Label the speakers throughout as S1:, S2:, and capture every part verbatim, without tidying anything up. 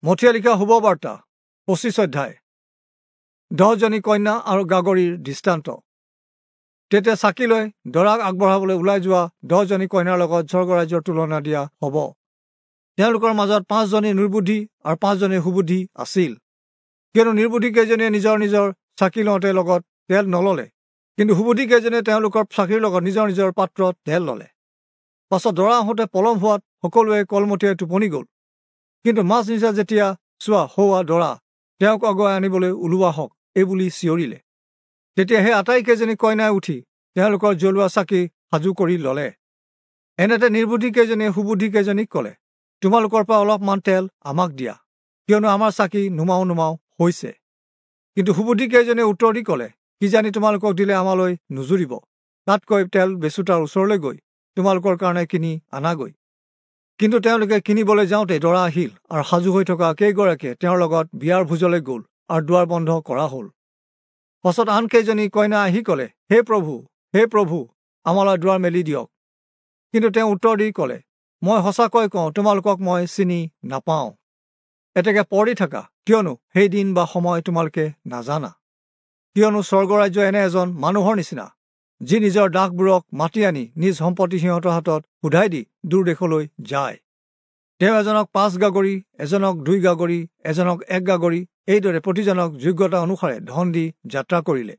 S1: মথিয়ে লিখা শুভবাৰ্তা পঁচিছ অধ্যায়। দহজনী কন্যা আৰু গাগৰিৰ দৃষ্টান্ত। তেতিয়া চাকি লৈ দৰাক আগবঢ়াবলৈ ওলাই যোৱা দহজনী কন্যাৰ লগত স্বৰ্গৰাজ্যৰ তুলনা দিয়া হ'ব। তেওঁলোকৰ মাজত পাঁচজনী নিৰ্বুদ্ধি আৰু পাঁচজনী সুবুদ্ধি আছিল। কিয়নো নিৰ্বুদ্ধি কেইজনীয়ে নিজৰ নিজৰ চাকি লওঁতে লগত তেল নল'লে, কিন্তু সুবুদ্ধি কেইজনীয়ে তেওঁলোকৰ চাকিৰ লগত নিজৰ নিজৰ পাত্ৰত তেল ল'লে। পাছত দৰা আহোঁতে পলম হোৱাত সকলোৱে কলমতীয়াই টোপনি গ'ল। কিন্তু মাজ নিশা যেতিয়া চোৱা সৌৱা দৰা, তেওঁক আগুৱাই আনিবলৈ ওলোৱা হওক এইবুলি চিঞৰিলে। তেতিয়া সেই আটাইকেইজনী কইনাই উঠি তেওঁলোকৰ জ্বলোৱা চাকি সাজু কৰি ল'লে। এনেতে নিৰ্বুদ্ধি কেইজনীয়ে সুবুদ্ধি কেইজনীক ক'লে, তোমালোকৰ পৰা অলপমান তেল আমাক দিয়া, কিয়নো আমাৰ চাকি নুমাও নুমাও হৈছে। কিন্তু সুবুদ্ধি কেইজনীয়ে উত্তৰ দি ক'লে, কিজানি তোমালোকক দিলে আমালৈ নুজুৰিব, তাতকৈ তেল বেচোতাৰ ওচৰলৈ গৈ তোমালোকৰ কাৰণে কিনি আনাগৈ। কিন্তু তেওঁলোকে কিনিবলৈ যাওঁতে দৰা আহিল আৰু সাজু হৈ থকা কেইগৰাকীয়ে তেওঁৰ লগত বিয়াৰ ভোজলৈ গ'ল আৰু দুৱাৰ বন্ধ কৰা হ'ল। পাছত আন কেইজনী কইনা আহি ক'লে, হে প্ৰভু, হে প্ৰভু, আমালৈ দুৱাৰ মেলি দিয়ক। কিন্তু তেওঁ উত্তৰ দি ক'লে, মই সঁচাকৈ কওঁ, তোমালোকক মই চিনি নাপাওঁ। এতেকে পৰি থাকা, কিয়নো সেই দিন বা সময় তোমালোকে নাজানা। কিয়নো স্বৰ্গৰাজ্য এনে এজন মানুহৰ নিচিনা, যি নিজৰ দাসবোৰক মাতি আনি নিজ সম্পত্তি সিহঁতৰ হাতত সোধাই দি দূৰ দেশলৈ যায়। তেওঁ এজনক পাঁচ গাগৰি, এজনক দুই গাগৰি, এজনক এক গাগৰি, এইদৰে প্ৰতিজনক যোগ্যতা অনুসাৰে ধন দি যাত্ৰা কৰিলে।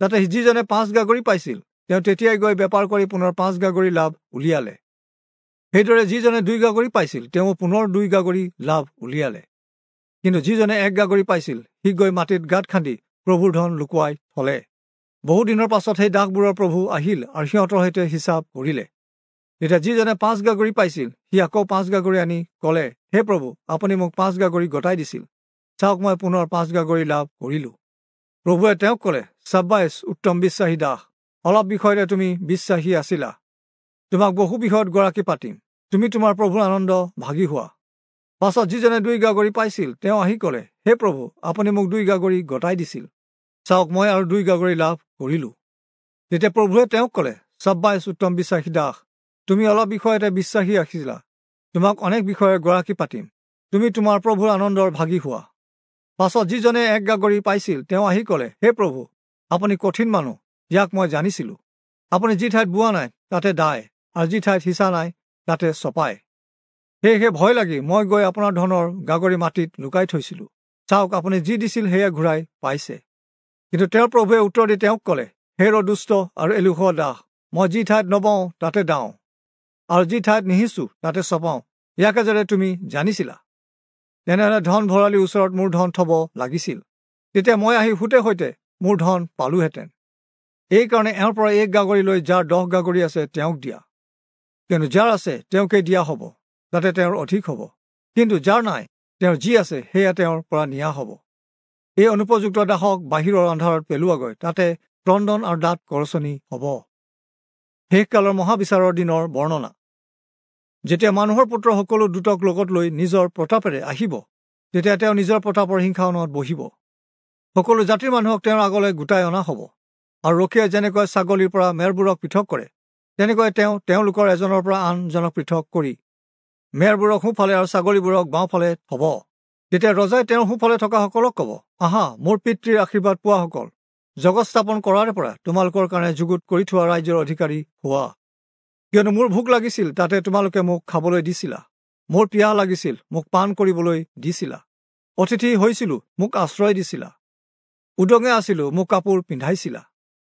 S1: তাতে যিজনে পাঁচ গাগৰি পাইছিল, তেওঁ তেতিয়াই গৈ বেপাৰ কৰি পুনৰ পাঁচ গাগৰি লাভ উলিয়ালে। সেইদৰে যিজনে দুই গাগৰি পাইছিল, তেওঁ পুনৰ দুই গাগৰি লাভ উলিয়ালে। কিন্তু যিজনে এক গাগৰি পাইছিল, সি গৈ মাটিত গাঁত খান্দি প্ৰভুৰ ধন লুকুৱাই থলে। বহুদিনৰ পাছত সেই দাসবোৰৰ প্ৰভু আহিল আৰু সিহঁতৰ সৈতে হিচাপ কৰিলে। তেতিয়া যিজনে পাঁচ গাগৰি পাইছিল, সি আকৌ পাঁচ গাগৰি আনি ক'লে, হে প্ৰভু, আপুনি মোক পাঁচ গাগৰি গতাই দিছিল, চাওক মই পুনৰ পাঁচ গাগৰি লাভ কৰিলোঁ। প্ৰভুৱে তেওঁক ক'লে, চাব্বাইছ, উত্তম বিশ্বাসী দাস, অলপ বিষয়তে তুমি বিশ্বাসী আছিলা, তোমাক বহু বিষয়ত গৰাকী পাতিম, তুমি তোমাৰ প্ৰভুৰ আনন্দ ভাগি হোৱা। পাছত যিজনে দুই গাগৰি পাইছিল, তেওঁ আহি ক'লে, হে প্ৰভু, আপুনি মোক দুই গাগৰি গতাই দিছিল, চাওক মই আৰু দুই গাগৰি লাভ কৰিলোঁ। তেতিয়া প্ৰভুৱে তেওঁক ক'লে, চাব্বাইছ, উত্তম বিশ্বাসী দাস, তুমি অলপ বিষয়তে বিশ্বাসী আছিলা, তোমাক অনেক বিষয়ে গৰাকী পাতিম, তুমি তোমাৰ প্ৰভুৰ আনন্দৰ ভাগি হোৱা। পাছত যিজনে এক গাগৰি পাইছিল, তেওঁ আহি ক'লে, হে প্ৰভু, আপুনি কঠিন মানুহ, ইয়াক মই জানিছিলোঁ। আপুনি যি ঠাইত বোৱা নাই তাতে দায়, আৰু যি ঠাইত সিঁচা নাই তাতে চপায়। সেয়েহে ভয় লাগি মই গৈ আপোনাৰ ধনৰ গাগৰি মাটিত লুকাই থৈছিলোঁ, চাওক আপুনি যি দিছিল সেয়া ঘূৰাই পাইছে। কিন্তু তেওঁৰ প্ৰভুৱে উত্তৰ দি তেওঁক ক'লে, হে দুষ্ট আৰু এলেহুৱা দাস, মই যি ঠাইত নবওঁ তাতে দাওঁ, আৰু যি ঠাইত নিসিঁচো তাতে চপাওঁ, ইয়াকে যাতে তুমি জানিছিলা, তেনেহ'লে ধন ভঁৰালীৰ ওচৰত মোৰ ধন থ'ব লাগিছিল, তেতিয়া মই আহি সুতে সৈতে মোৰ ধন পালোহেঁতেন। এইকাৰণে এওঁৰ পৰা এক গাগৰি লৈ যাৰ দহ গাগৰি আছে তেওঁক দিয়া, কিয়নো যাৰ আছে তেওঁকে দিয়া হ'ব, তাতে তেওঁৰ অধিক হ'ব, কিন্তু যাৰ নাই তেওঁৰ যি আছে সেয়া তেওঁৰ পৰা নিয়া হ'ব। এই অনুপযুক্ত দাসক বাহিৰৰ আন্ধাৰত পেলোৱাগৈ, তাতে ক্ৰন্দন আৰু দাঁত কৰচনি হ'ব। শেষকালৰ মহাবিচাৰৰ দিনৰ বৰ্ণনা। যেতিয়া মানুহৰ পুত্ৰ সকলো দূতক লগত লৈ নিজৰ প্ৰতাপেৰে আহিব, তেতিয়া তেওঁ নিজৰ প্ৰতাপৰ সিংহাসনত বহিব। সকলো জাতিৰ মানুহক তেওঁৰ আগলৈ গোটাই অনা হ'ব, আৰু ৰখীয়াই যেনেকৈ ছাগলীৰ পৰা মেৰবোৰক পৃথক কৰে, তেনেকৈ তেওঁ তেওঁলোকৰ এজনৰ পৰা আনজনক পৃথক কৰি মেৰবোৰক সোঁফালে আৰু ছাগলীবোৰক বাওঁফালে থ'ব। তেতিয়া ৰজাই তেওঁৰ সোঁফালে থকাসকলক ক'ব, আহা, মোৰ পিতৃৰ আশীৰ্বাদ পোৱাসকল, জগত স্থাপন কৰাৰে পৰা তোমালোকৰ কাৰণে যুগুত কৰি থোৱা ৰাজ্যৰ অধিকাৰী হোৱা। কিয়নো মোৰ ভোক লাগিছিল, তাতে তোমালোকে মোক খাবলৈ দিছিলা, মোৰ পিয়াহ লাগিছিল, মোক পান কৰিবলৈ দিছিলা, অতিথি হৈছিলোঁ, মোক আশ্ৰয় দিছিলা, উদঙে আছিলোঁ, মোক কাপোৰ পিন্ধাইছিলা,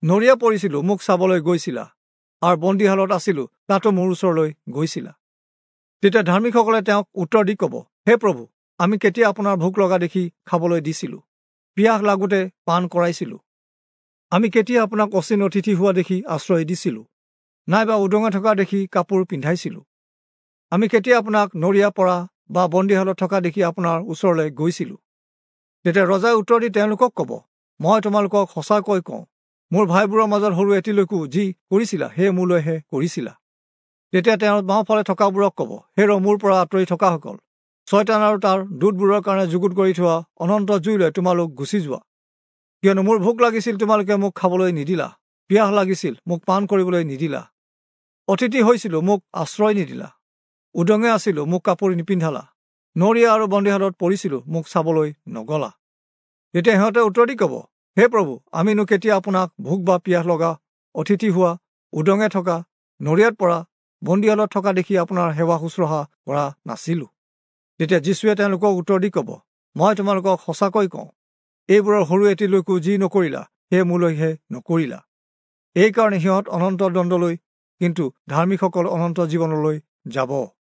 S1: নৰিয়া পৰিছিলোঁ, মোক চাবলৈ গৈছিলা, আৰু বন্দীশালত আছিলোঁ, তাতো মোৰ ওচৰলৈ গৈছিলা। তেতিয়া ধাৰ্মিকসকলে তেওঁক উত্তৰ দি ক'ব, হে প্ৰভু, আমি কেতিয়া আপোনাৰ ভোক লগা দেখি খাবলৈ দিছিলোঁ, পিয়াহ লাগোতে পান কৰাইছিলোঁ, আমি কেতিয়া আপোনাক অচিন অতিথি হোৱা দেখি আশ্ৰয় দিছিলোঁ, নাইবা উদঙে থকা দেখি কাপোৰ পিন্ধাইছিলোঁ, আমি কেতিয়া আপোনাক নৰিয়া পৰা বা বন্দীশালত থকা দেখি আপোনাৰ ওচৰলৈ গৈছিলোঁ। তেতিয়া ৰজাই উত্তৰ দি তেওঁলোকক ক'ব, মই তোমালোকক সঁচাকৈ কওঁ, মোৰ ভাইবোৰৰ মাজত সৰু এটিলৈকো যি কৰিছিলা সেয়ে মোলৈহে কৰিছিলা। তেতিয়া তেওঁ বাওঁফালে থকাবোৰক ক'ব, হেৰ মোৰ পৰা আঁতৰি থকাসকল, ছয়তান আৰু তাৰ দূতবোৰৰ কাৰণে যুগুত কৰি থোৱা অনন্ত জুইলৈ তোমালোক গুচি যোৱা। কিয়নো মোৰ ভোক লাগিছিল, তোমালোকে মোক খাবলৈ নিদিলা, পিয়াহ লাগিছিল, মোক পান কৰিবলৈ নিদিলা, অতিথি হৈছিলোঁ, মোক আশ্ৰয় নিদিলা, উদঙে আছিলোঁ, মোক কাপোৰ নিপিন্ধালা, নৰীয়া আৰু বন্দীশালত পৰিছিলো, মোক চাবলৈ নগলা। তেতিয়া সিহঁতে উত্তৰ দি ক'ব, হে প্ৰভু, আমিনো কেতিয়া আপোনাক ভোক বা পিয়াহ লগা, অতিথি হোৱা, উদঙে থকা, নৰিয়াত পৰা, বন্দীশালত থকা দেখি আপোনাৰ সেৱা শুশ্ৰূষা কৰা নাছিলো? তেতিয়া যীশুৱে তেওঁলোকক উত্তৰ দি ক'ব, মই তোমালোকক সঁচাকৈ কওঁ, এইবোৰৰ সৰু এটিলৈকো যি নকৰিলা, সেয়ে মোলৈহে নকৰিলা। এইকাৰণে সিহঁত অনন্ত দণ্ডলৈ, কিন্তু ধাৰ্মিকসকল অনন্ত জীৱনলৈ যাব।